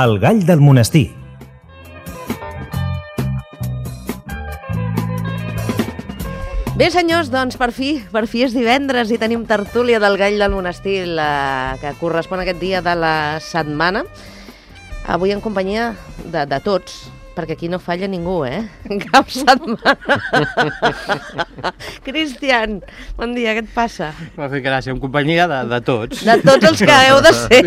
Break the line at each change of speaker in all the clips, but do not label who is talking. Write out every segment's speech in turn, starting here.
El gall del monestir.
Bé, senyors, doncs per fi és divendres i tenim tertúlia del gall del monestir, la que correspon a aquest dia de la setmana. Avui en companyia de tots, perquè aquí no falla ningú, Cap setmana. Cristian, bon dia, què et passa?
M'ha fet gràcia, en companyia de tots.
De tots els que heu de ser.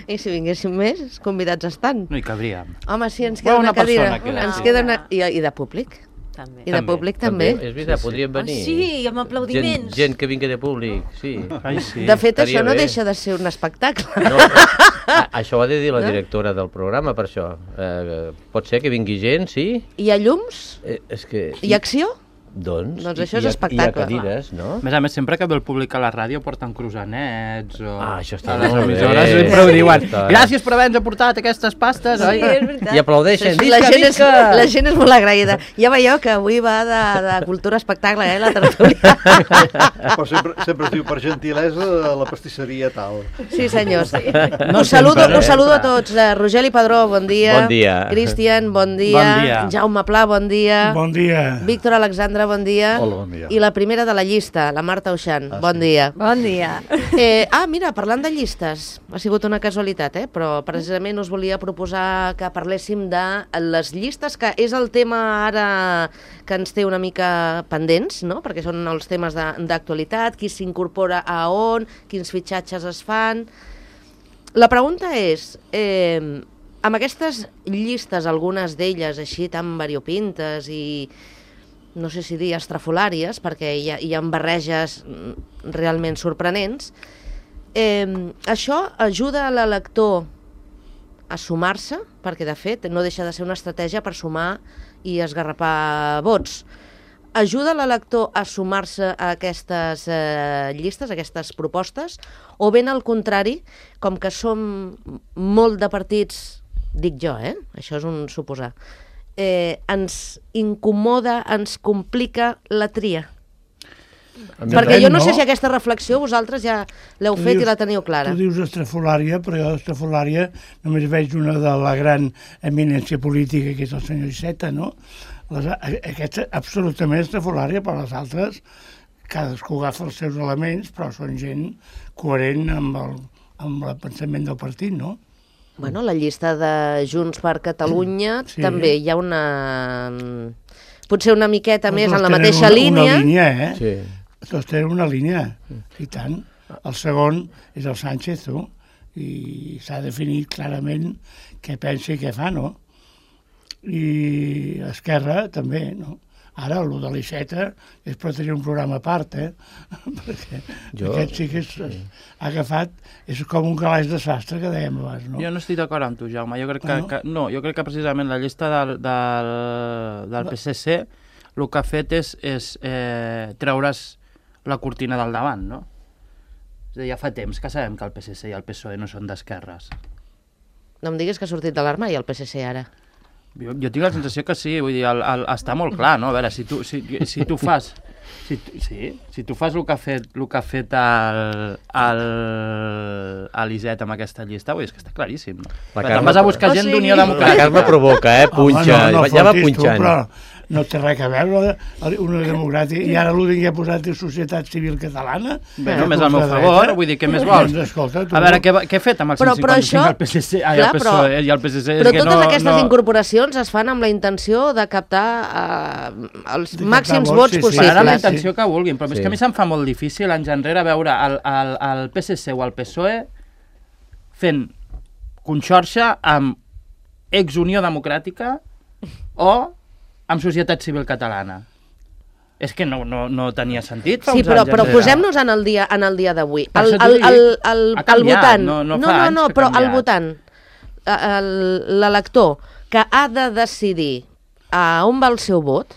I si vinguéssim més, convidats estan.
No hi cabríem.
Home, sí, ens queda una cadira. Ens queda una... I de públic?
També.
I de públic també.
És veritat, podrien venir.
Sí, amb aplaudiments.
Gent que vingui de públic, sí.
Ai, sí.
De fet,
Estaria
això no
bé.
deixa de ser un espectacle.
No, això ho ha de dir la directora del programa, per això. Pot ser que vingui gent, sí?
Hi ha llums?
És que...
Hi ha acció?
Doncs
això és
hi ha
espectacle.
cadires, no?
A més, sempre que ve el públic a la ràdio porten croissants o...
Això està
a les
molt bé.
emissores sempre ho diuen.
Està.
Gràcies per haver-nos aportat aquestes pastes, oi?
Sí, és veritat.
I aplaudeixen.
La gent és molt agraïda. Ja veieu que avui va de cultura espectacle, la tertúlia.
Però sempre es diu per gentilesa la pastisseria tal.
Sí, senyors.
No
Us saludo
sempre.
a tots. Rogeli Padró, bon dia.
Bon dia.
Cristian, bon dia.
Bon dia.
Jaume Pla, bon dia.
Bon dia.
Víctor Alexandre, bon dia.
Hola, bon dia.
I la primera de la llista, la Marta Uixant. Bon dia.
Bon dia.
Mira, parlant de llistes, ha sigut una casualitat, però precisament us volia proposar que parléssim de les llistes, que és el tema ara que ens té una mica pendents, no? Perquè són els temes d'actualitat, qui s'incorpora a on, quins fitxatges es fan. La pregunta és, amb aquestes llistes, algunes d'elles així tan variopintes i no sé si dir estrafolàries, perquè hi ha barreges realment sorprenents, això ajuda a l'elector a sumar-se, perquè de fet no deixa de ser una estratègia per sumar i esgarrapar vots. Ajuda l'elector a sumar-se a aquestes llistes, a aquestes propostes, o ben al contrari, com que som molt de partits, dic jo, això és un suposar, ens incomoda, ens complica la tria. Perquè jo no sé si aquesta reflexió vosaltres ja l'heu fet i la teniu clara.
Tu dius estrafolària, però jo estrafolària només veig una de la gran eminència política, que és el senyor Iceta, no? Aquesta absolutament estrafolària, però les altres, cadascú agafa els seus elements, però són gent coherent amb el pensament del partit, no?
Bueno, la llista de Junts per Catalunya
sí.
també hi ha una... potser una miqueta més en la
Tots
mateixa
tenen
línia.
Una línia,
Sí.
Tots tenen una línia, i tant. El segon és el Sánchez, tu, i s'ha definit clarament què pensa i què fa, no? I Esquerra també, no? Ara, el de l'Iceta és per tenir un programa a part, perquè aquest sí que ha agafat, és com un calaix de sastre que dèiem abans, no?
Jo no estic d'acord amb tu, Jaume. Jo crec
No?
jo crec que precisament la llista del PSC el que ha fet és treure's la cortina del davant, no? És a dir, ja fa temps que sabem que el PSC i el PSOE no són d'esquerres.
No em diguis que ha sortit de l'armari el PSC ara.
Jo tinc la sensació que sí, vull dir, està molt clar, no? A veure, si tu fas... Si tu fas el que ha fet l'Iset amb aquesta llista, vull dir, és que està claríssim. Te'n vas a buscar gent d'Unió
La
Democràtica.
Carme provoca, punxa, ja va punxant.
Però no té res a veure una democràtica, i ara l'únic que ha posat és Societat Civil Catalana.
Bé, només al meu favor, vull dir, què més vols?
Doncs escolta, tu...
A veure, què he fet amb el 155 al PSC?
Clar,
el PSOE i el PSC?
Però totes aquestes incorporacions es fan amb la intenció de captar els màxims vots possibles.
Faran amb la intenció que vulguin, però és
Sí.
que a mi se'm fa molt difícil anys enrere veure el PSC o el PSOE fent conxorxa amb ex-Unió Democràtica o amb Societat Civil Catalana. És que no tenia sentit fa
Sí,
uns
però
anys enrere.
posem-nos en el dia d'avui.
Per
El
això t'ho dic. Ha
el
canviat,
votant,
no fa anys que ha
però el
canviat.
votant, l'elector que ha de decidir a on va el seu vot,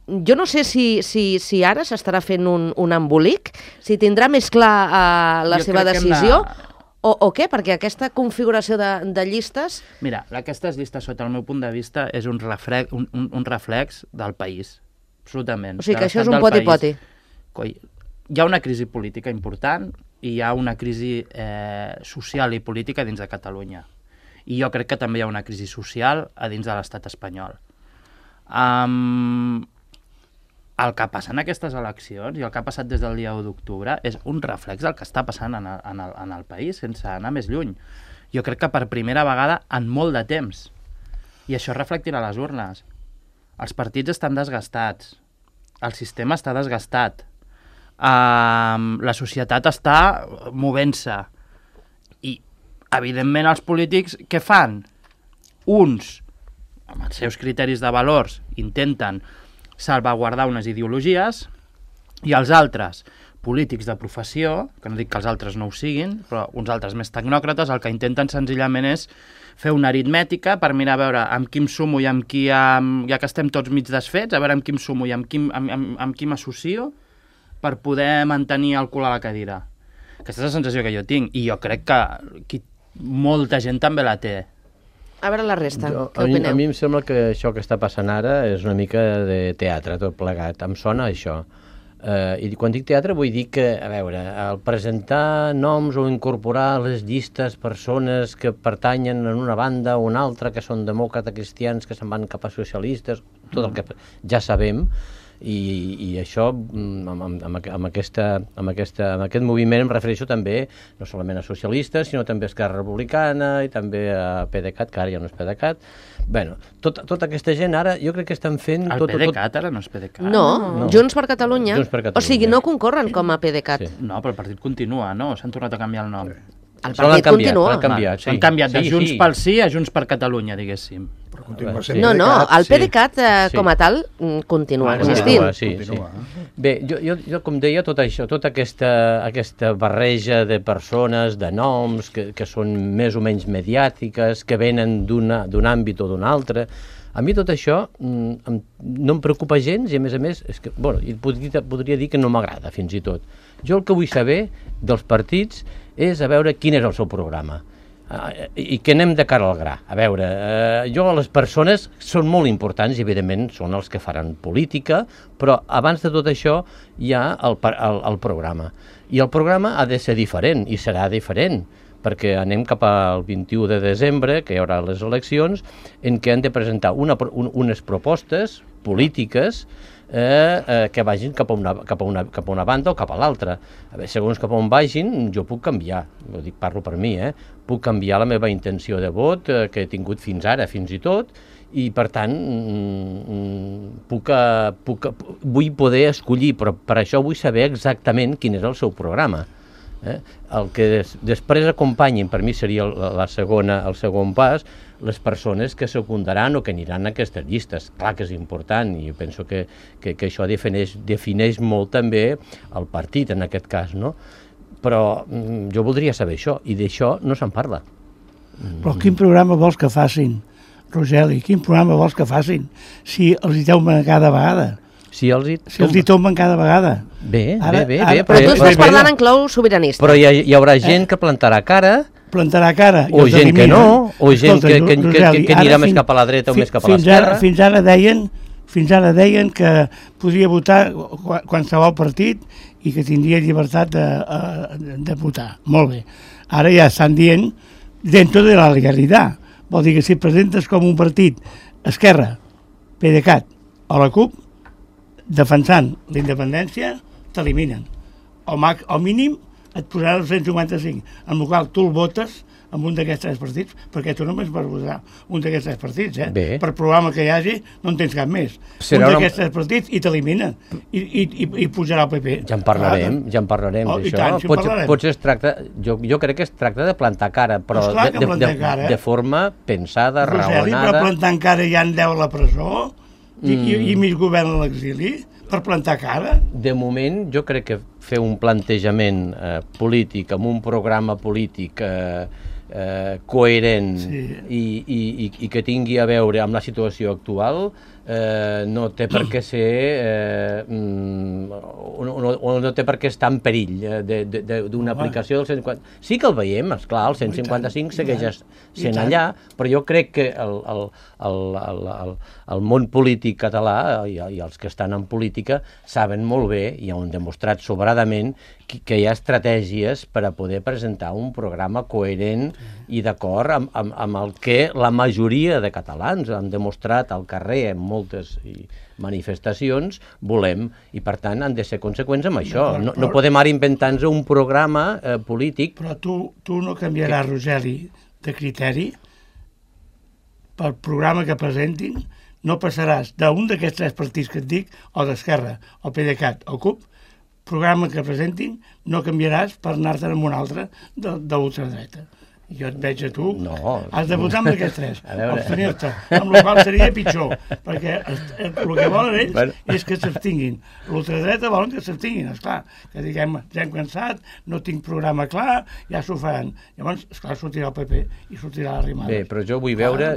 jo no sé si ara s'estarà fent un embolic, si tindrà més clar la
Jo
seva
crec que hem
decisió,
de-
o què? Perquè aquesta configuració de llistes...
Mira, aquestes llistes, sota el meu punt de vista, és un reflex del país. Absolutament.
O sigui,
de
que això és
l'estat
un
del
poti-poti.
país. Coi, hi ha una crisi política important, hi ha una crisi social i política dins de Catalunya. I jo crec que també hi ha una crisi social a dins de l'estat espanyol. El que passa en aquestes eleccions i el que ha passat des del dia 1 d'octubre és un reflex del que està passant en el país, sense anar més lluny. Jo crec que per primera vegada en molt de temps. I això es reflectirà a les urnes. Els partits estan desgastats. El sistema està desgastat. La societat està movent-se. I, evidentment, els polítics què fan? Uns, amb els seus criteris de valors, intenten salvaguardar unes ideologies i els altres, polítics de professió, que no dic que els altres no ho siguin, però uns altres més tecnòcrates, el que intenten senzillament és fer una aritmètica per mirar a veure amb qui em sumo i amb qui, ja que estem tots mig desfets, a veure amb qui em sumo i amb qui m'associo per poder mantenir el cul a la cadira. Aquesta és la sensació que jo tinc i jo crec que molta gent també la té.
A veure la resta, què opineu?
A mi em sembla que això que està passant ara és una mica de teatre, tot plegat. Em sona això. I quan dic teatre vull dir que, a veure, el presentar noms o incorporar les llistes persones que pertanyen en una banda o una altra, que són demòcrates cristians, que se'n van cap a socialistes, tot el que ja sabem, i això, amb aquest moviment em refereixo també no solament a socialistes, sinó també a Esquerra Republicana i també a PDeCAT, que ara ja no és PDeCAT. Bueno, tota aquesta gent ara jo crec que estan fent...
El PDeCAT ara no és PDeCAT.
No, Junts per Catalunya. O sigui, no concorren com a PDeCAT.
No, però el partit continua, no? S'han tornat a canviar el nom.
El partit continua.
S'han canviat de Junts pel Sí a Junts per Catalunya, diguéssim.
No, el PDeCAT com a tal continua existint.
Bé, jo com deia, tot això, tota aquesta barreja de persones, de noms, que són més o menys mediàtiques, que venen d'un àmbit o d'un altre, a mi tot això no em preocupa gens i, a més, és que, bueno, podria dir que no m'agrada, fins i tot. Jo el que vull saber dels partits és a veure quin és el seu programa i que anem de cara al gra. A veure, les persones són molt importants i, evidentment, són els que faran política, però abans de tot això hi ha el programa. I el programa ha de ser diferent, i serà diferent, perquè anem cap al 21 de desembre, que hi haurà les eleccions, en què han de presentar unes propostes polítiques que vagin cap a una banda o cap a l'altra. Segons cap on vagin, jo puc canviar, parlo per mi, puc canviar la meva intenció de vot que he tingut fins ara, fins i tot, i per tant vull poder escollir, però per això vull saber exactament quin és el seu programa. El que després acompanyin, per mi seria el segon pas, les persones que secundaran o que aniran a aquestes llistes. Clar que és important i jo penso que això defineix molt també el partit en aquest cas, no? Però jo voldria saber això i d'això no se'n parla.
Però quin programa vols que facin, Rogeli? Quin programa vols que facin si els hi tomben cada vegada?
Si els
hi tomben cada vegada.
Bé.
Però tu estàs parlant en clau sobiranista.
Però hi haurà gent que plantarà cara,
o
gent que no, o gent que anirà més cap a la dreta o més cap a l'esquerra.
Fins ara deien que podia votar qualsevol partit i que tindria llibertat de votar. Molt bé. Ara ja estan dient dentro de la legalitat. Vol dir que si presentes com un partit Esquerra, PDeCAT o la CUP, defensant la independència, t'eliminen. O mínim et posaran el 155, en el qual tu el votes amb un d'aquests tres partits, perquè tu només vas votar un d'aquests tres partits, per programa que hi hagi no en tens cap més. Un d'aquests tres partits i t'eliminen i pujarà el PP.
Ja en parlarem d'això. Potser es tracta, jo crec que es tracta de plantar cara, però de forma pensada, raonada.
Però plantant cara ja en deu a la presó i mig govern a l'exili per plantar cara?
De moment jo crec que fer un plantejament polític amb un programa polític coherent i que tingui a veure amb la situació actual no té per què ser no té per què estar en perill d'una aplicació del 155. Sí que el veiem, esclar, el 155 segueix sent allà, però jo crec que el món polític català i els que estan en política saben molt bé i han demostrat sobradament que hi ha estratègies per a poder presentar un programa coherent i d'acord amb el que la majoria de catalans han demostrat al carrer en moltes manifestacions volem, i per tant han de ser conseqüents amb això. No podem ara inventar-nos un programa polític.
Però tu no canviaràs, Rogeli, de criteri pel programa que presentin, no passaràs d'un d'aquests 3 partits que et dic, o d'Esquerra, o PDeCAT, o CUP, programa que presentin, no canviaràs per anar-te'n amb un altre d'ultradreta. Jo et veig a tu, has de votar amb aquests 3, abstenir-te, amb la qual seria pitjor, perquè el que volen ells és que s'abstinguin. L'ultradreta volen que s'abstinguin, esclar, que diguem, ja hem cansat, no tinc programa clar, ja s'ho faran. Llavors, esclar, sortirà el PP i sortirà l'Arrimada.
Bé, però jo vull veure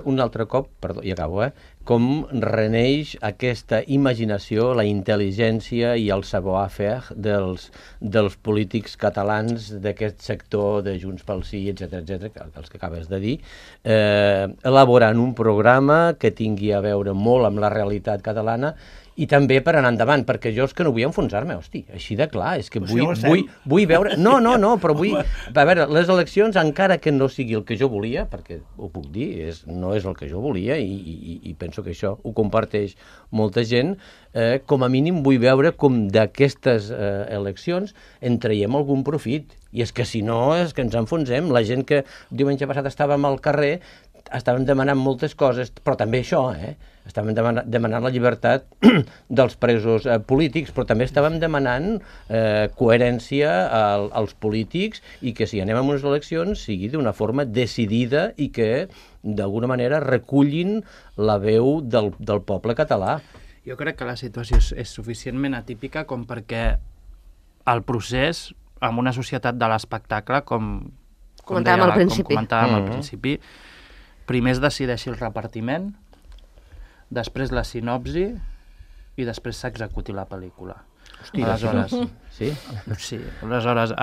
un altre cop, perdó, i acabo, com reneix aquesta imaginació, la intel·ligència i el savoir-faire dels polítics catalans d'aquest sector de Junts pel Sí, etc, els que acabes de dir, elaborant un programa que tingui a veure molt amb la realitat catalana i també per anar endavant, perquè jo és que no vull enfonsar-me, hosti, així de clar, és que vull veure... No, però vull... A veure, les eleccions, encara que no sigui el que jo volia, perquè ho puc dir, no és el que jo volia i penso que això ho comparteix molta gent, com a mínim vull veure com d'aquestes eleccions en traiem algun profit. I és que si no, és que ens enfonsem. La gent que diumenge passat estàvem al carrer estàvem demanant moltes coses, però també això, estàvem demanant la llibertat dels presos polítics, però també estàvem demanant coherència als polítics i que si anem a unes eleccions sigui d'una forma decidida i que d'alguna manera recullin la veu del poble català.
Jo crec que la situació és suficientment atípica com perquè el procés, en una societat de l'espectacle, com comentàvem al principi, primer es decideixi el repartiment, després la sinopsi i després s'executi la pel·lícula.
Hòstia,
aleshores,
sí?
Sí, aleshores,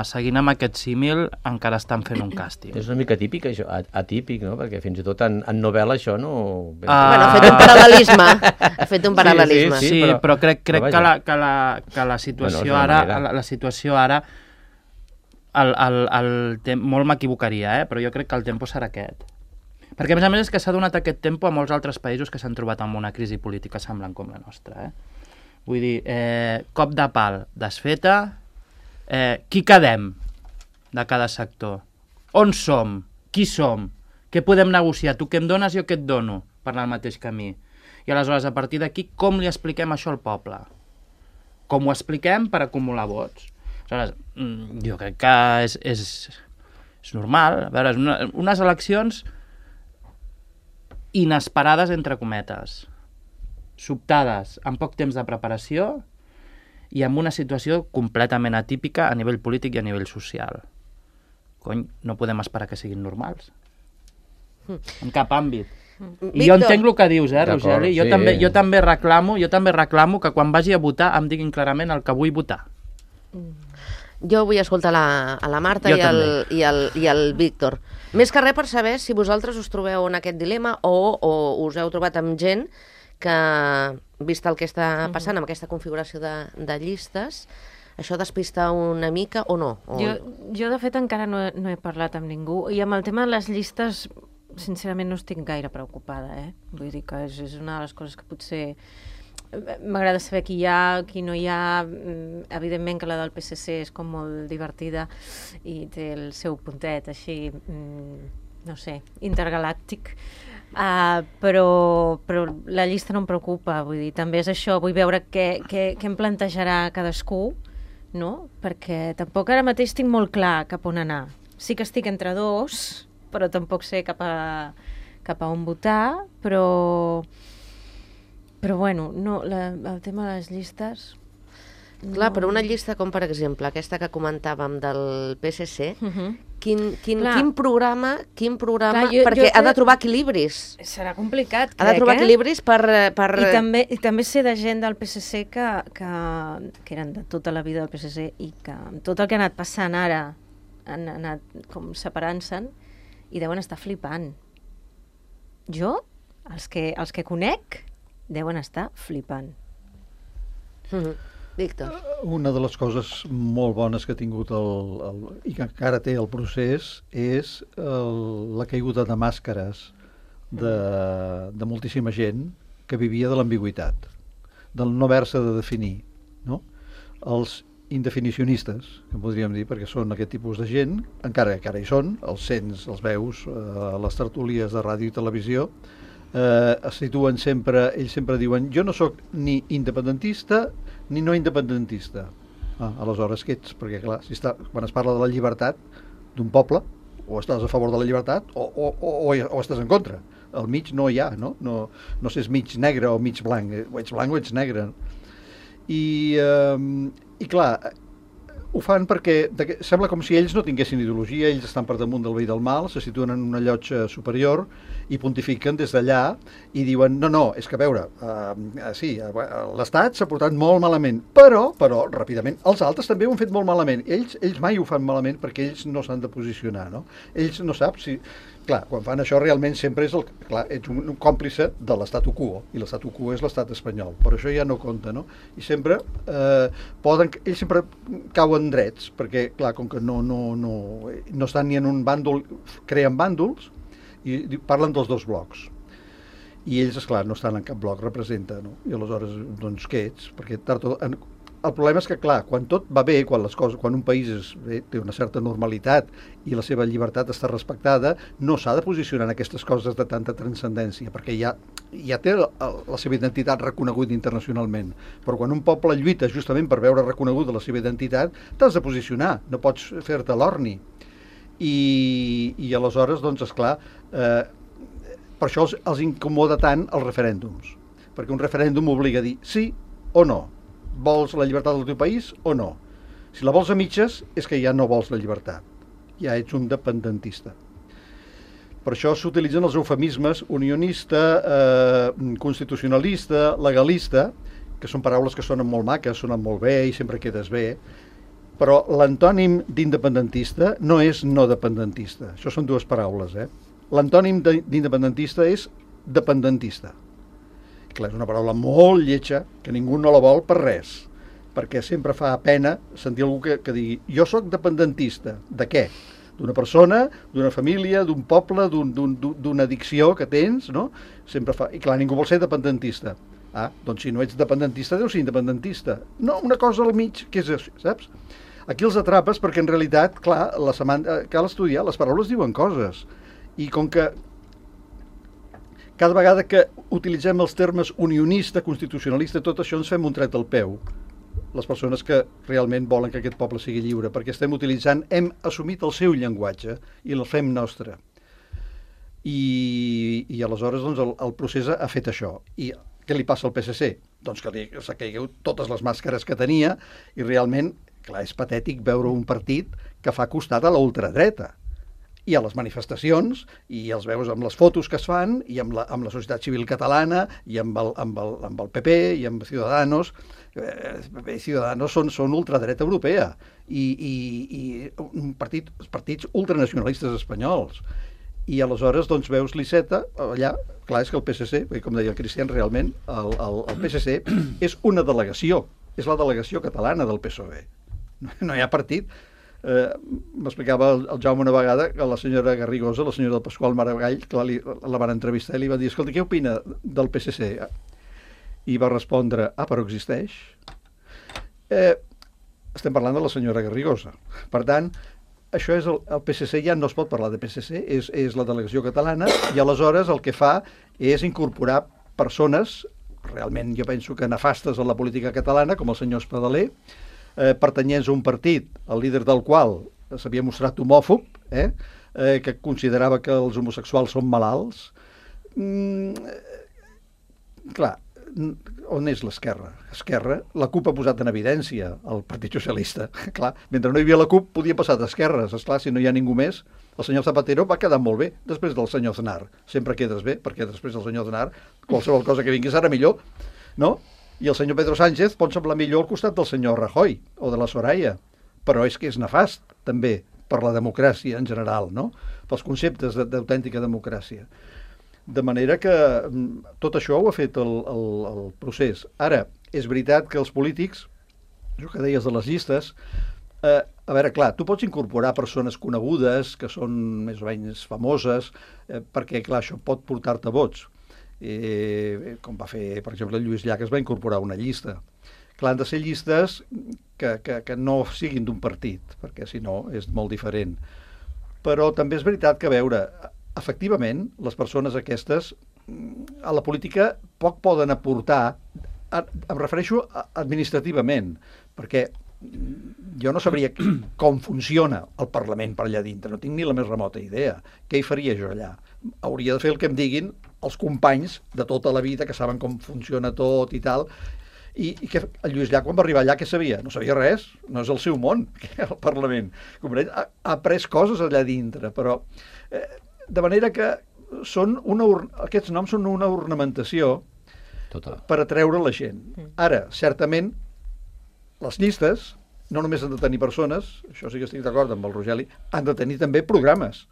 seguint amb aquest símil, encara estan fent un càsting.
És una mica típic, això, atípic, no? Perquè fins i tot en novel·la això no...
Bueno, ha fet un paral·lelisme. Ha fet un paral·lelisme.
Sí, però crec que la situació ara... Molt m'equivocaria, però jo crec que el tempo serà aquest. Perquè, a més és que s'ha donat aquest tempo a molts altres països que s'han trobat amb una crisi política semblant com la nostra. Vull dir, cop de pal desfeta, qui quedem de cada sector? On som? Qui som? Què podem negociar? Tu què em dones, jo què et dono per anar al mateix camí? I aleshores, a partir d'aquí, com li expliquem això al poble? Com ho expliquem per acumular vots? Aleshores, jo crec que és normal. A veure, unes eleccions inesperades, entre cometes, sobtades, amb poc temps de preparació i amb una situació completament atípica a nivell polític i a nivell social. Cony, no podem esperar que siguin normals. En cap àmbit. I jo entenc el que dius, Rogeli? Jo també reclamo que quan vagi a votar em diguin clarament el que vull votar.
Jo vull escoltar a la Marta i el Víctor. Més que res per saber si vosaltres us trobeu en aquest dilema o us heu trobat amb gent que, vist el que està passant amb aquesta configuració de llistes, això despista una mica o no?
Jo de fet, encara no he parlat amb ningú. I amb el tema de les llistes, sincerament, no estic gaire preocupada. Vull dir que és una de les coses que potser... M'agrada saber qui hi ha, qui no hi ha. Evidentment que la del PSC és com molt divertida i té el seu puntet així, no sé, intergalàctic. Però la llista no em preocupa, vull dir, també és això, vull veure què em plantejarà cadascú, no? Perquè tampoc ara mateix tinc molt clar cap on anar. Sí que estic entre dos, però tampoc sé cap a on votar, però bueno, no, el tema de les llistes...
Clar, però una llista com, per exemple, aquesta que comentàvem del PSC, quin programa... Clar, perquè ha de trobar equilibris.
Serà complicat, crec,
ha de trobar equilibris per...
I també sé de gent del PSC que eren de tota la vida del PSC i que amb tot el que ha anat passant ara han anat com separant-se'n i deuen estar flipant. Jo, els que conec... deuen estar flipant.
Víctor.
Una de les coses molt bones que ha tingut i que encara té el procés és la caiguda de màscares de moltíssima gent que vivia de l'ambigüitat, del no haver-se de definir, no? Els indefinicionistes, que podríem dir, perquè són aquest tipus de gent, encara que ara hi són, els sents, els veus, a les tertúlies de ràdio i televisió, es situen sempre, ells sempre diuen, jo no sóc ni independentista ni no independentista. Aleshores, què ets? Perquè, clar, quan es parla de la llibertat d'un poble, o estàs a favor de la llibertat o estàs en contra. Al mig no hi ha, no? No sé si és mig negre o mig blanc, o ets blanc o ets negre. I clar, ho fan perquè sembla com si ells no tinguessin ideologia, ells estan per damunt del bé i del mal, se situen en una llotja superior i pontifiquen des d'allà i diuen, no, és que a veure, sí, l'Estat s'ha portat molt malament, però, ràpidament, els altres també ho han fet molt malament. Ells mai ho fan malament perquè ells no s'han de posicionar, no? Ells no sap si... Clar, quan fan això realment sempre és ets un còmplice de l'estatu quo, i l'estatu quo és l'estat espanyol, però això ja no compta, no? I sempre ells sempre cauen drets, perquè, clar, com que no estan ni en un bàndol, creen bàndols i parlen dels dos blocs. I ells, esclar, no estan en cap bloc, representa, no? I aleshores, doncs, què ets? Perquè el problema és que, clar, quan tot va bé, quan un país té una certa normalitat i la seva llibertat està respectada, no s'ha de posicionar en aquestes coses de tanta transcendència, perquè ja té la seva identitat reconeguda internacionalment. Però quan un poble lluita justament per veure reconeguda la seva identitat, t'has de posicionar, no pots fer-te l'orni. I aleshores, doncs, esclar, per això els incomoda tant els referèndums, perquè un referèndum obliga a dir sí o no. Vols la llibertat del teu país o no? Si la vols a mitges, és que ja no vols la llibertat. Ja ets un dependentista. Per això s'utilitzen els eufemismes unionista, constitucionalista, legalista, que són paraules que sonen molt maques, sonen molt bé i sempre quedes bé, però l'antònim d'independentista no és no dependentista. Això són dues paraules, L'antònim d'independentista és dependentista. Clar, és una paraula molt lletja, que ningú no la vol per res, perquè sempre fa pena sentir algú que digui jo sóc dependentista. De què? D'una persona, d'una família, d'un poble, d'una addicció que tens, no? Sempre fa... I clar, ningú vol ser dependentista. Doncs si no ets dependentista, deus ser independentista. No, una cosa al mig, què és això, saps? Aquí els atrapes perquè en realitat, clar, cal estudiar, les paraules diuen coses. I com que cada vegada que utilitzem els termes unionista, constitucionalista, tot això ens fem un tret al peu. Les persones que realment volen que aquest poble sigui lliure, perquè hem assumit el seu llenguatge i el fem nostre. I aleshores doncs, el procés ha fet això. I què li passa al PSC? Doncs que s'ha caigut totes les màscares que tenia i realment, clar, és patètic veure un partit que fa costat a la ultradreta. I a les manifestacions, i els veus amb les fotos que es fan, i amb la societat civil catalana, i amb el PP, i amb Ciudadanos. Ciudadanos són ultradreta europea, i partits ultranacionalistes espanyols. I aleshores doncs, veus l'Iceta, allà, clar, és que el PSC, com deia el Cristian, realment, el PSC és una delegació, és la delegació catalana del PSOE. No hi ha partit. M'explicava el Jaume una vegada que la senyora Garrigosa, la senyora del Pasqual Maragall, clar, la van entrevistar i li va dir, escolta, què opina del PSC? I va respondre, però existeix. Estem parlant de la senyora Garrigosa. Per tant, això és el PSC, ja no es pot parlar de PSC, és la delegació catalana, i aleshores el que fa és incorporar persones, realment jo penso que nefastes a la política catalana, com el senyor Espadaler, pertanyents a un partit, el líder del qual s'havia mostrat homòfob, que considerava que els homosexuals són malalts. Clar, on és l'esquerra? Esquerra, la CUP ha posat en evidència el Partit Socialista. Clar, mentre no hi havia la CUP, podia passar d'esquerres. Esclar, si no hi ha ningú més, el senyor Zapatero va quedar molt bé després del senyor Aznar. Sempre quedes bé, perquè després del senyor Aznar qualsevol cosa que vingui serà millor, no? I el senyor Pedro Sánchez pot semblar millor al costat del senyor Rajoy o de la Soraya, però és que és nefast, també, per la democràcia en general, no? Pels conceptes d'autèntica democràcia. De manera que tot això ho ha fet el procés. Ara, és veritat que els polítics això que deies de les llistes, a veure, clar, tu pots incorporar persones conegudes, que són més o menys famoses, perquè, clar, això pot portar-te vots. Com va fer, per exemple, Lluís Llach, es va incorporar una llista. Clar, han de ser llistes que no siguin d'un partit, perquè si no és molt diferent. Però també és veritat que, a veure, efectivament, les persones aquestes a la política poc poden aportar, em refereixo administrativament, perquè jo no sabria com funciona el Parlament per allà dintre, no tinc ni la més remota idea. Què hi faria jo allà? Hauria de fer el que em diguin els companys de tota la vida, que saben com funciona tot i tal. I que el Lluís Llach, quan va arribar allà, què sabia? No sabia res, no és el seu món, el Parlament. Ha après coses allà dintre, però de manera que aquests noms són una ornamentació per atreure la gent. Ara, certament, les llistes no només han de tenir persones, això sí que estic d'acord amb el Rogeli, han de tenir també programes,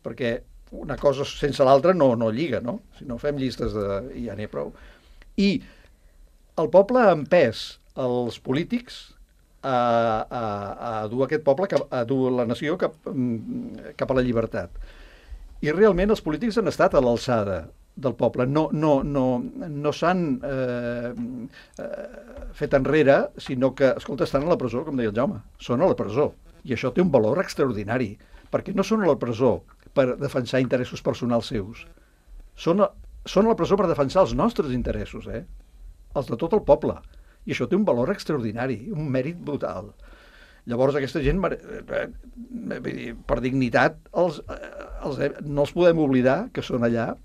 perquè una cosa sense l'altra no lliga, no? Si no fem llistes ja n'hi ha prou. I el poble ha empès els polítics a dur aquest poble, a dur la nació cap a la llibertat. I realment els polítics han estat a l'alçada del poble, no s'han fet enrere, sinó que, escolta, estan a la presó, com deia el Jaume, són a la presó, i això té un valor extraordinari, perquè no són a la presó per defensar interessos personals seus, són a la presó per defensar els nostres interessos, els de tot el poble, i això té un valor extraordinari, un mèrit brutal. Llavors aquesta gent, per dignitat, no els podem oblidar que són allà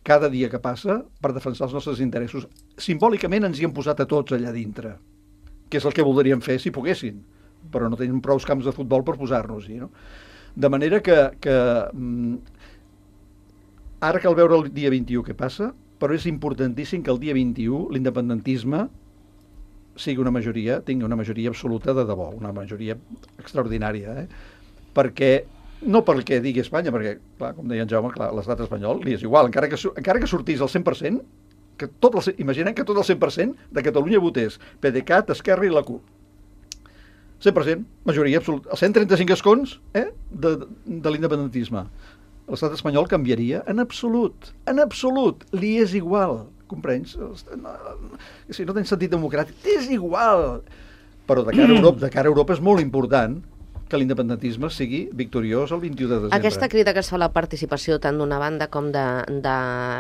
cada dia que passa per defensar els nostres interessos. Simbòlicament ens hi han posat a tots allà dintre, que és el que voldríem fer si poguessin, però no tenim prou camps de futbol per posar-nos-hi, no? De manera que ara cal veure el dia 21 què passa, però és importantíssim que el dia 21 l'independentisme tingui una majoria absoluta de debò, una majoria extraordinària, no perquè digui Espanya, perquè, clar, com deia en Jaume, l'estat espanyol li és igual, encara que sortís el 100%, imaginem que tot el 100% de Catalunya votés PDeCAT, Esquerra i la CUP. 100%, majoria absoluta. Els 135 escons de l'independentisme. L'estat espanyol canviaria en absolut, li és igual, comprens? Si no tens sentit democràtic, és igual. Però de cara a Europa és molt important que l'independentisme sigui victoriós el 21 de desembre.
Aquesta crida que es fa a la participació tant d'una banda com de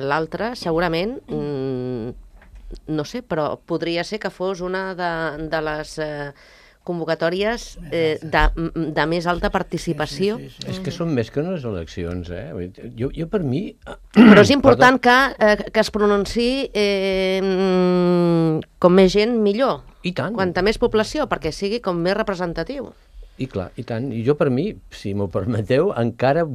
l'altra, segurament, no sé, però podria ser que fos una de les convocatòries de més alta participació.
Sí. És que són més que unes eleccions, Jo per mi...
Però és important que es pronunciï com més gent, millor.
I tant.
Quanta més població, perquè sigui com més representatiu.
I clar, i tant. I jo per mi, si m'ho permeteu, encara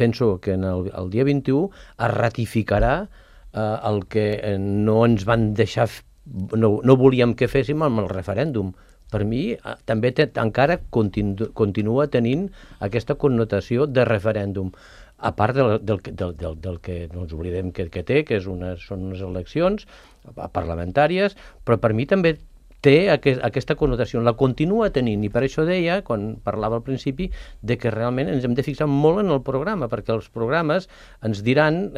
penso que el dia 21 es ratificarà el que no ens van deixar, no volíem que féssim amb el referèndum. Per mi també encara continua tenint aquesta connotació de referèndum. A part del que no ens oblidem que té, que són unes eleccions parlamentàries, però per mi també té aquesta connotació, la continua tenint, i per això deia, quan parlava al principi, de que realment ens hem de fixar molt en el programa, perquè els programes ens diran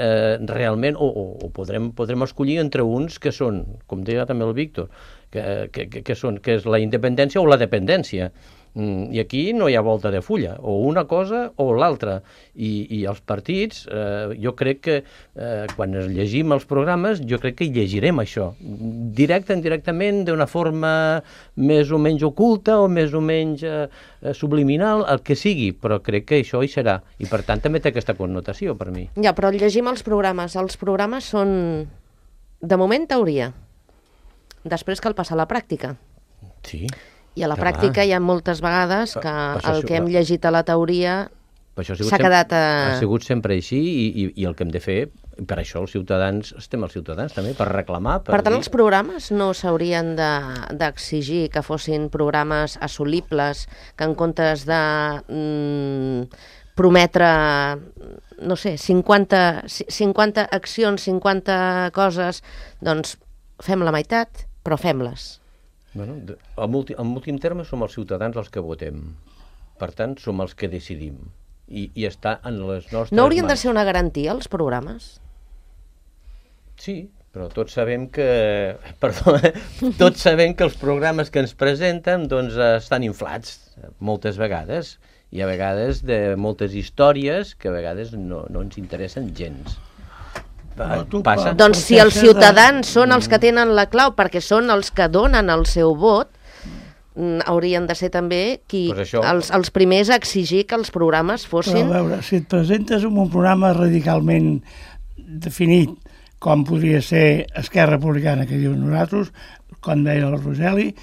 realment, o podrem escollir entre uns que són, com deia també el Víctor, que és la independència o la dependència. I aquí no hi ha volta de fulla, o una cosa o l'altra, i els partits, jo crec que quan llegim els programes, jo crec que hi llegirem això, indirectament, d'una forma més o menys oculta o més o menys subliminal, el que sigui, però crec que això hi serà, i per tant també té aquesta connotació per mi.
Ja, però llegim els programes són, de moment, teoria. Després cal passar a la pràctica.
Sí.
I a la pràctica hi ha moltes vegades que el que hem llegit a la teoria s'ha quedat...
Ha sigut sempre així, i el que hem de fer, per això els ciutadans, estem els ciutadans també, per reclamar...
Per tant, els programes no s'haurien d'exigir que fossin programes assolibles, que en comptes de prometre, no sé, 50 accions, 50 coses, doncs fem la meitat, però fem-les.
Bueno, en últim terme som els ciutadans els que votem. Per tant, som els que decidim. I està en les nostres
No haurien de
mans.
ser una garantia, els programes?
Sí, però tots sabem que... Perdó, tots sabem que els programes que ens presenten doncs, estan inflats moltes vegades. I a vegades de moltes històries que a vegades no ens interessen gens. Passa.
Doncs si els ciutadans són els que tenen la clau, perquè són els que donen el seu vot, haurien de ser també
Pues això.
els primers a exigir que els programes
Però
fossin...
a veure, si et presentes amb un programa radicalment definit, com podria ser Esquerra Republicana, que diu nosaltres, com deia el Roseli,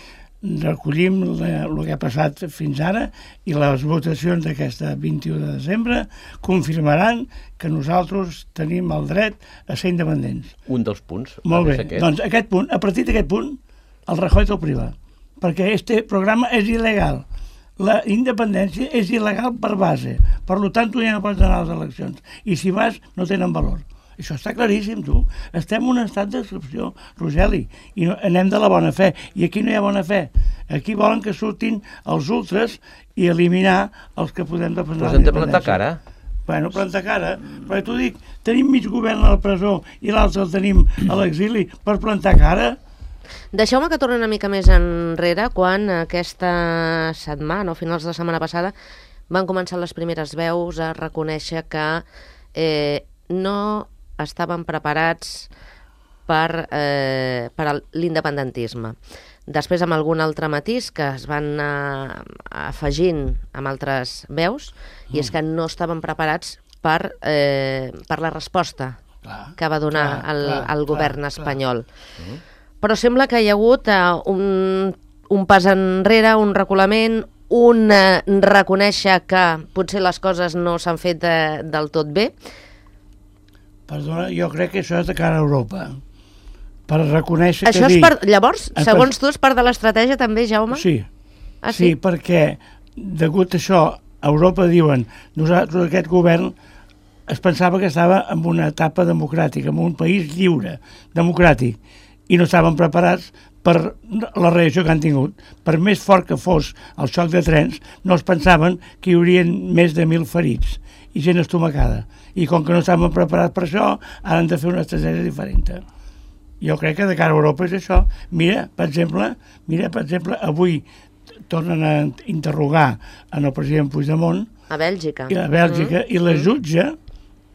recollim el que ha passat fins ara i les votacions d'aquesta 21 de desembre confirmaran que nosaltres tenim el dret a ser independents.
Un dels punts.
Molt bé,
Aquest.
doncs aquest punt, a partir d'aquest punt, el Rajoy te'l priva, perquè este programa és il·legal. La independència és il·legal per base, per tant tu ja no pots anar a les eleccions, i si vas no tenen valor. Això està claríssim, tu. Estem en un estat d'excepció, Roseli, i no, anem de la bona fe. I aquí no hi ha bona fe. Aquí volen que surtin els ultres i eliminar els que podem defensar
Però
la
hem de plantar
independència.
cara.
Bueno, plantar cara. Però t'ho dic, tenim mig govern a la presó i l'altre el tenim a l'exili per plantar cara.
Deixeu-me que torni una mica més enrere, quan aquesta setmana, o finals de la setmana passada, van començar les primeres veus a reconèixer que no estaven preparats per l'independentisme. Després, amb algun altre matís que es van anar afegint amb altres veus, i és que no estaven preparats per la resposta que va donar el govern espanyol. Però sembla que hi ha hagut un pas enrere, un reculament, un reconèixer que potser les coses no s'han fet del tot bé.
Perdona, jo crec que això és de cara a Europa. Per reconèixer
Això
que...
Llavors, segons tu, és part de l'estratègia també, Jaume?
Sí.
Ah, sí?
Sí, perquè degut a això, a Europa diuen, nosaltres, aquest govern, es pensava que estava en una etapa democràtica, en un país lliure, democràtic, i no estaven preparats per la reacció que han tingut. Per més fort que fos el xoc de trens, no es pensaven que hi haurien més de 1.000 ferits i gent estomacada. I com que no estaven preparats per això, han de fer una estratègia diferent. Jo crec que de cara a Europa és això. Mira, per exemple, avui tornen a interrogar en el president Puigdemont
A Bèlgica.
i a Bèlgica, i la jutge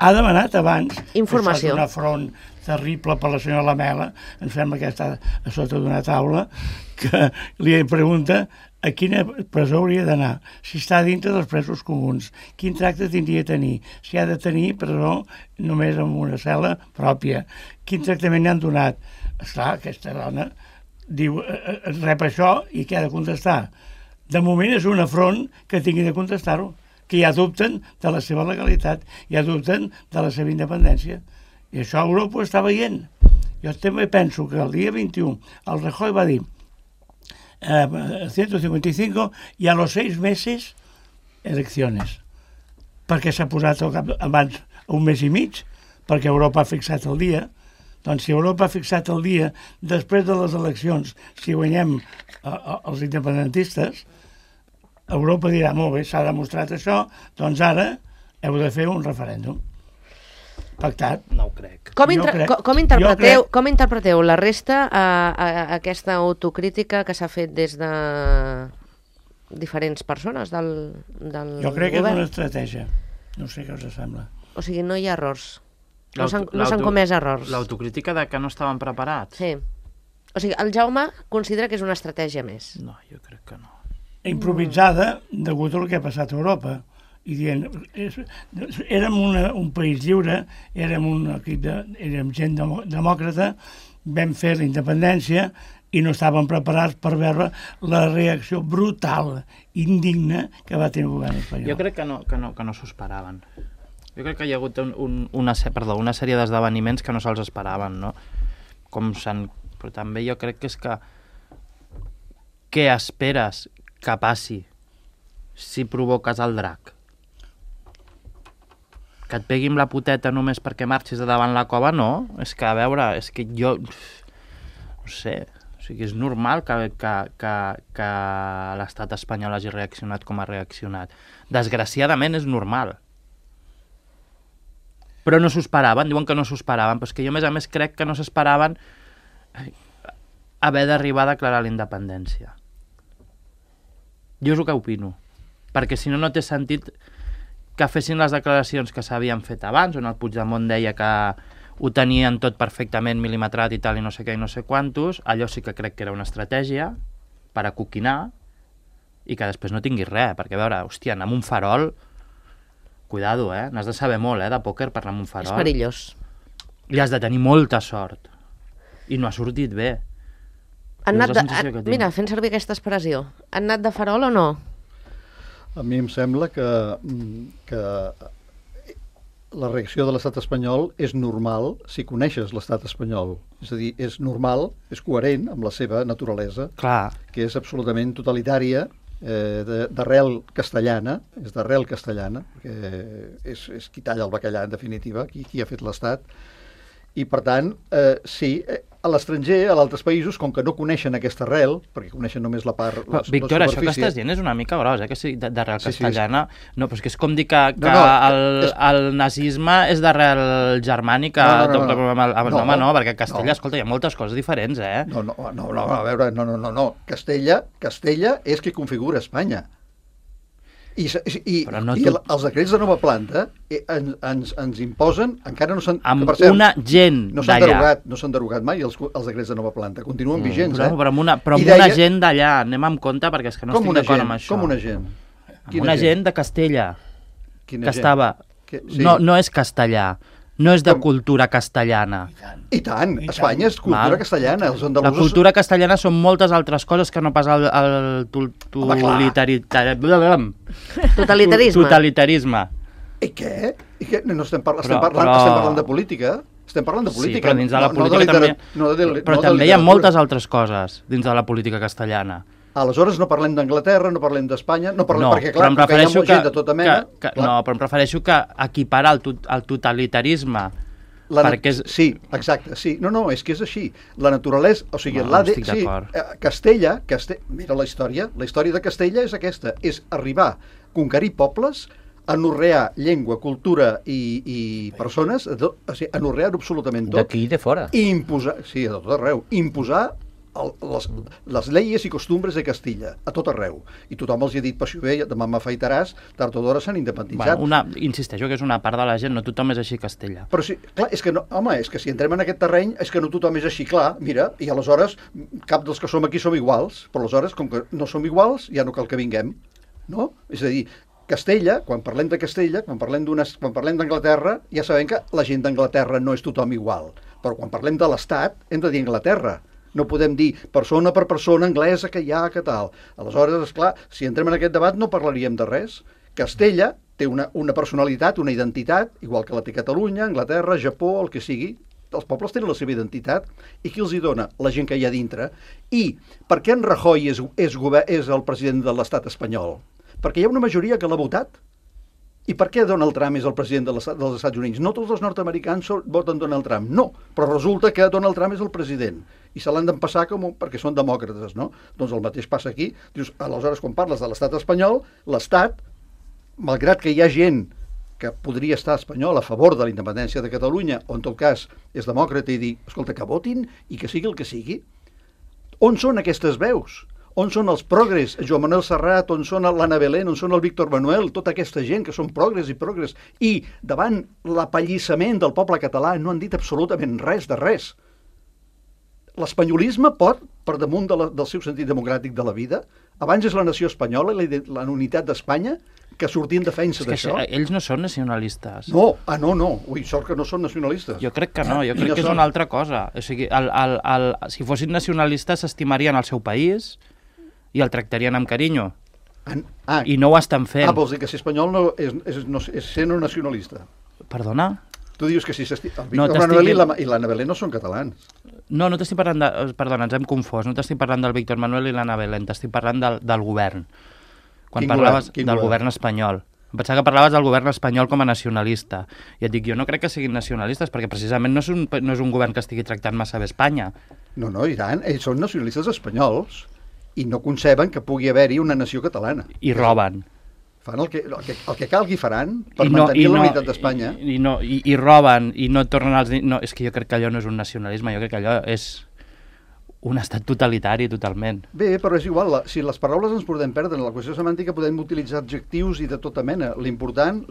ha demanat abans...
Informació.
Això és un afront terrible per la senyora Lamela, em sembla que està a sota d'una taula, que li pregunta a quina presó hauria d'anar, si està dintre dels presos comuns, quin tracte tindria de tenir, si ha de tenir presó només en una cel·la pròpia, quin tractament li han donat. Esclar, aquesta dona diu, rep això i què ha de contestar? De moment és un afront que tingui de contestar-ho, que ja dubten de la seva legalitat, ja dubten de la seva independència. I això Europa ho està veient. Jo també penso que el dia 21 el Rajoy va dir 155 y a los 6 meses elecciones, perquè s'ha posat abans un mes i mig, perquè Europa ha fixat el dia. Doncs si Europa ha fixat el dia després de les eleccions, si guanyem els independentistes, Europa dirà, molt bé, s'ha demostrat això, doncs ara heu de fer un referèndum pactat.
No ho crec.
Com
crec-
interpreteu la resta a aquesta autocrítica que s'ha fet des de diferents persones del
Jo crec que és
govern?
una estratègia. No sé què us sembla.
O sigui, no hi ha errors. No s'han comès errors.
L'autocrítica de que no estaven preparats?
Sí. O sigui, el Jaume considera que és una estratègia més.
No, jo crec que no.
Improvisada degut al que ha passat a Europa. I dient, érem un país lliure, érem un equip érem gent demòcrata, vam fer la independència i no estàvem preparats per veure la reacció brutal, indigna, que va tenir el govern espanyol.
Jo crec que no s'ho esperaven. Jo crec que hi ha hagut una sèrie d'esdeveniments que no se'ls esperaven, no? Però també jo crec que és que què esperes que passi si provoques el drac? Que et pegui amb la puteta només perquè marxis de davant la cova? No. És que, a veure, és que jo... No sé. O sigui, és normal que l'estat espanyol hagi reaccionat com ha reaccionat. Desgraciadament és normal. Però no s'ho esperaven, diuen que no s'ho esperaven, però és que jo, a més, crec que no s'esperaven haver d'arribar a declarar la independència. Jo és el que opino. Perquè si no, no té sentit que fessin les declaracions que s'havien fet abans, on el Puigdemont deia que ho tenien tot perfectament mil·limetrat i tal, i no sé què i no sé quantos. Allò sí que crec que era una estratègia per acoquinar i que després no tinguis res, perquè a veure, hòstia, anar amb un farol, cuidado, n'has de saber molt, de pòquer per anar amb un farol.
És perillós.
I has de tenir molta sort. I no ha sortit bé.
Mira, fent servir aquesta expressió, han anat de farol o no?
A mi em sembla que la reacció de l'estat espanyol és normal si coneixes l'estat espanyol. És a dir, és normal, és coherent amb la seva naturalesa,
Clar.
que és absolutament totalitària, d'arrel castellana, perquè és qui talla el bacallà, en definitiva, qui ha fet l'estat. I, per tant, sí, a l'estranger, a altres països, com que no coneixen aquesta arrel, perquè coneixen només la part...
Víctor, això que estàs dient és una mica gros, que sí, d'arrel castellana.
Sí.
No, però és que és com dir que el nazisme és d'arrel germànica. No, perquè a Castella, escolta, hi ha moltes coses diferents,
No, a veure, no. Castella és qui configura Espanya. I els decrets de nova planta ens imposen, encara no s'han...
Amb una gent d'allà.
No s'han derogat mai els decrets de nova planta, continuen vigents.
Però amb una gent d'allà, anem amb compte, perquè és que no estic d'acord amb això.
Com una gent?
Amb una gent de Castella, que estava...
Sí.
No és castellà, no és de cultura castellana.
I tant, Espanya és cultura castellana. Els andalusos...
La cultura castellana són moltes altres coses que no pas el totalitarisme.
I què? No estem parlant de política? Estem parlant de política.
Sí, però dins de la política també... Però també hi ha moltes altres coses dins de la política castellana.
Aleshores no parlem d'Anglaterra, no parlem d'Espanya, perquè clar, hi ha gent de tota mena...
No, però em refereixo que equiparar el totalitarisme...
Sí, exacte, sí. No, és que és així. La naturalesa, o sigui, Castella, mira la història de Castella és aquesta, és arribar, conquerir pobles, anorrear llengua, cultura i persones, o sigui, anorrear absolutament tot.
D'aquí i de fora.
I imposar, sí, a tot arreu, imposar les leyes i costumbres de Castilla, a tot arreu. I tothom els ha dit, passió bé, demà m'afaitaràs, tard o d'hora s'han independitzat.
Insisteixo que és una part de la gent, no tothom és així a Castella.
Però sí, clar, és que si entrem en aquest terreny, és que no tothom és així, clar, mira, i aleshores cap dels que som aquí som iguals, però aleshores, com que no som iguals, ja no cal que vinguem, no? És a dir, Castella, quan parlem de Castella, quan parlem d'Anglaterra, ja sabem que la gent d'Anglaterra no és tothom igual, però quan parlem de l'Estat hem de dir Anglaterra. No podem dir persona per persona anglesa que hi ha, que tal. Aleshores, esclar, si entrem en aquest debat no parlaríem de res. Castella té una personalitat, una identitat, igual que la té Catalunya, Anglaterra, Japó, el que sigui. Els pobles tenen la seva identitat. I qui els hi dona? La gent que hi ha dintre. I per què en Rajoy és el president de l'estat espanyol? Perquè hi ha una majoria que l'ha votat. I per què Donald Trump és el president dels Estats Units? No tots els nord-americans voten Donald Trump, no. Però resulta que Donald Trump és el president. I se l'han d'empassar perquè són demòcrates, no? Doncs el mateix passa aquí. Dius, aleshores, quan parles de l'estat espanyol, l'estat, malgrat que hi ha gent que podria estar espanyol a favor de la independència de Catalunya, o en tot cas és demòcrata i dir, escolta, que votin i que sigui el que sigui. On són aquestes veus? On són els progres, Joan Manuel Serrat, on són l'Anna Belén, on són el Víctor Manuel, tota aquesta gent que són progres, i davant l'apallissament del poble català no han dit absolutament res de res. L'espanyolisme pot, per damunt del seu sentit democràtic de la vida, abans és la nació espanyola i la unitat d'Espanya, que sortir en defensa d'això.
Ells no són nacionalistes.
No. Ui, sort que no són nacionalistes.
Jo crec que no, crec que és una altra cosa. O sigui, si fossin nacionalistes s'estimarien el seu país i el tractarien amb carinyo. I no ho estan fent.
Vols dir que ser espanyol és ser no nacionalista?
Perdona?
Tu dius que si el Víctor Manuel i l'Anna Belén no són catalans.
No t'estic parlant de... Perdona, ens hem confós. No t'estic parlant del Víctor Manuel i l'Anna Belén, t'estic parlant del govern. Quan parlaves del govern espanyol. Em pensava que parlaves del govern espanyol com a nacionalista. I et dic, jo no crec que siguin nacionalistes, perquè precisament no és un govern que estigui tractant massa bé Espanya.
No, i tant, ells són nacionalistes espanyols i no conceben que pugui haver-hi una nació catalana.
I roben.
Fan el que calgui faran per mantenir la unitat d'Espanya.
I roben, i no tornen als... No, és que jo crec que allò no és un nacionalisme, jo crec que allò és un estat totalitari totalment.
Bé, però és igual, si les paraules ens podem perdre en la qüestió semàntica podem utilitzar adjectius i de tota mena. L'important,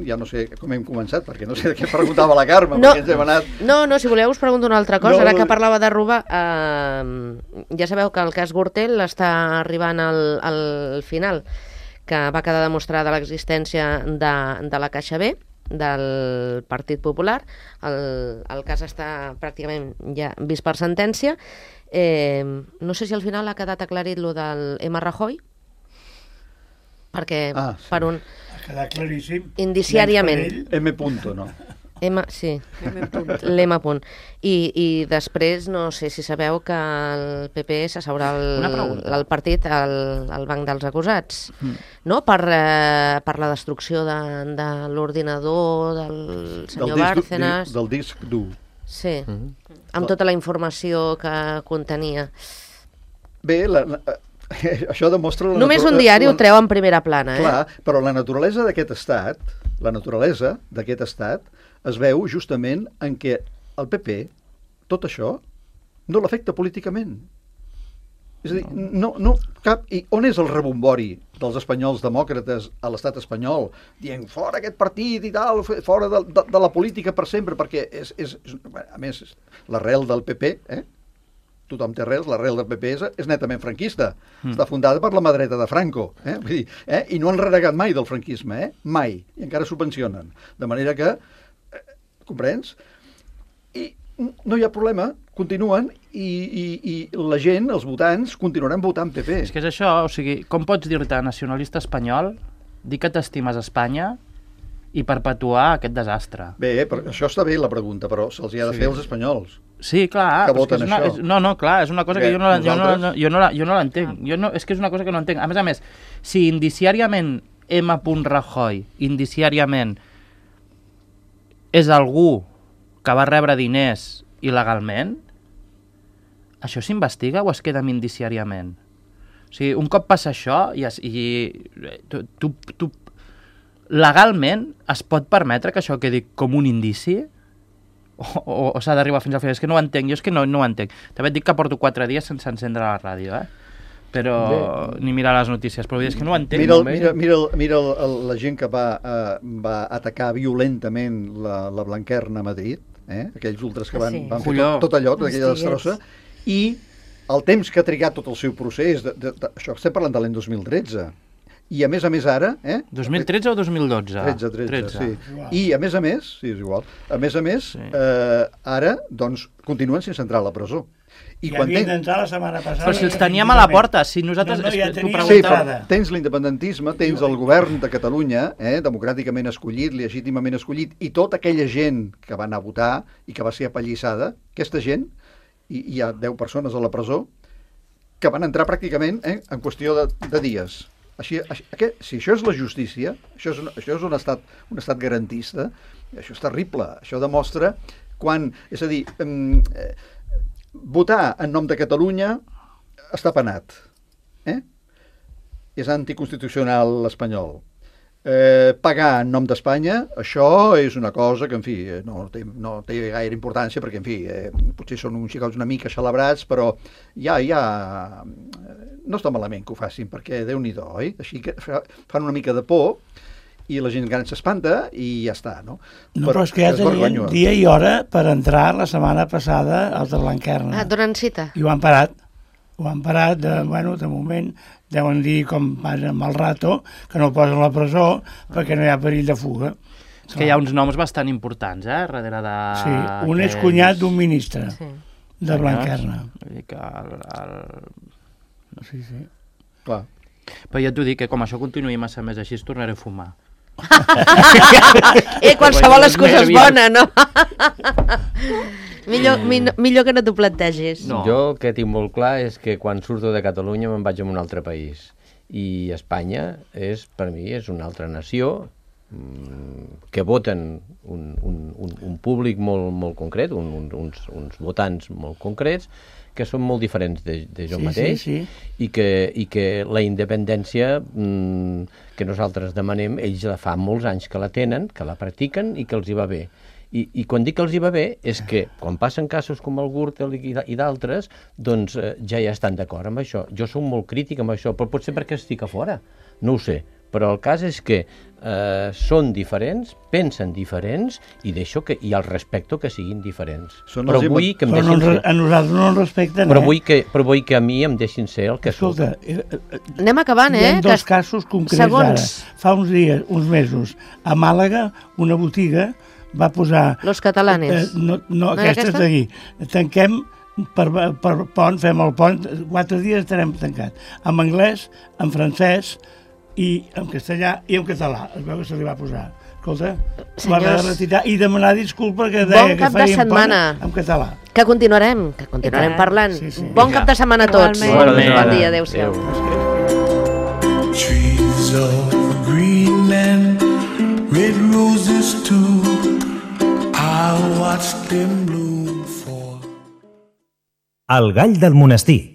ja no sé com hem començat, perquè no sé de què preguntava la Carme, perquè ens hem anat...
No, si voleu us pregunto una altra cosa, ara que parlava de robar, ja sabeu que el cas Gürtel està arribant al final, que va quedar demostrada l'existència de la Caixa B, del Partit Popular. El cas està pràcticament ja vist per sentència. No sé si al final ha quedat aclarit lo del M. Rajoy, perquè
sí.
per un...
Ha quedat claríssim.
Indiciàriament.
M. punto, no?
Sí, l'M. I després, no sé si sabeu que el PP s'asseurà al partit al banc dels acusats, no? Per la destrucció de l'ordinador del senyor Bárcenas.
Del disc dur.
Sí, amb tota la informació que contenia.
Bé, això demostra...
Només un diari ho treu en primera plana,
Clar, però la naturalesa d'aquest estat, es veu justament en què el PP, tot això, no l'afecta políticament. És a dir, no cap... I on és el rebombori dels espanyols demòcrates a l'estat espanyol dient fora aquest partit i tal, fora de la política per sempre, perquè a més, l'arrel del PP, tothom té arrels, l'arrel del PP és netament franquista. Està fundada per la mà dreta de Franco. Vull dir, i no han renegat mai del franquisme, mai. I encara subvencionen. De manera que comprens? I no hi ha problema, continuen i la gent, els votants, continuaran votant PP.
És que és això, o sigui, com pots dir-te nacionalista espanyol, dir que t'estimes Espanya i perpetuar aquest desastre?
Bé, però això està bé la pregunta, però se'ls hi ha de fer als espanyols.
Sí, clar.
Que voten això.
Clar, és una cosa que jo no l'entenc. És que és una cosa que no entenc. A més, si indiciàriament M. Rajoy, indiciàriament, és algú que va rebre diners il·legalment, això s'investiga o es queda amb indiciàriament? O sigui, un cop passa això tu legalment es pot permetre que això quedi com un indici? O s'ha d'arribar fins al final? És que no ho entenc, jo és que no ho entenc. També et dic que porto 4 dies sense encendre la ràdio, però ni mirar les notícies, però és que no ho entenc.
Mira la gent que va atacar violentament la Blanquerna a Madrid, aquells ultres que van fer tot allò, tota aquella destrossa, i el temps que ha trigat tot el seu procés, això estem parlant de l'any 2013, i a més ara...
2013 o 2012?
13, sí. I a més, sí, és igual, ara, doncs, continuen sense entrar a la presó.
I havien d'entrar la setmana passada...
Però si els teníem a la porta, si nosaltres...
Sí, però tens l'independentisme, tens el govern de Catalunya, democràticament escollit, legítimament escollit, i tota aquella gent que va anar a votar i que va ser apallissada, aquesta gent, i hi ha 10 persones a la presó, que van entrar pràcticament en qüestió de dies. Si això és la justícia, això és un estat garantista, això és terrible, això demostra quan... És a dir... votar en nom de Catalunya està penat. És anticonstitucional l'espanyol. Pagar en nom d'Espanya, això és una cosa que, en fi, no té gaire importància, perquè, en fi, potser són uns xicots una mica celebrats, però ja no està malament que ho facin, perquè Déu-n'hi-do, oi? Així que fan una mica de por, i la gent gran s'espanta i ja està, no?
Però és que ja tenien dia i hora per entrar la setmana passada als de Blanquerna.
Donen cita.
I ho han parat. De moment deuen dir, com van amb el rato, que no el posen a la presó perquè no hi ha perill de fuga.
És que hi ha uns noms bastant importants, darrere de...
Sí, un és cunyat d'un ministre de Blanquerna.
Vull dir que
Sí.
Clar.
Però ja t'ho dic, que com això continuï massa més així, tornaré a fumar.
Qualsevol excusa és bona, no? Millor que no t'ho plantegis.
No. Jo el que tinc molt clar és que quan surto de Catalunya me'n vaig a un altre país. I Espanya, per mi, és una altra nació que voten un públic molt concret, uns votants molt concrets, que són molt diferents de jo mateix, i que la independència que nosaltres demanem, ells la fa molts anys que la tenen, que la practiquen i que els hi va bé. I quan dic que els hi va bé és que quan passen casos com el Gürtel i d'altres, doncs ja estan d'acord amb això. Jo soc molt crític amb això, però potser perquè estic a fora, no ho sé. Però el cas és que són diferents, pensen diferents i el respecto que siguin diferents.
Però vull que em deixin ser. A nosaltres no ens respecten,
però vull que a mi em deixin ser el que soc.
Escolta, anem acabant,
Hi ha dos casos concrets ara. Fa uns dies, uns mesos, a Màlaga, una botiga va posar...
Los catalanes.
No, aquesta és d'aquí. Tanquem per pont, fem el pont, 4 dies estarem tancats. En anglès, en francès, i en castellà i en català. Es veu que se li va posar. Escolta, va haver de retirar i demanar disculpa que deia que faríem pont en català.
Que continuarem parlant. Bon cap de setmana a tots. Bon dia, adéu-siau. Trees of green and red roses too, I watched them bloom for...
El gall del monestir.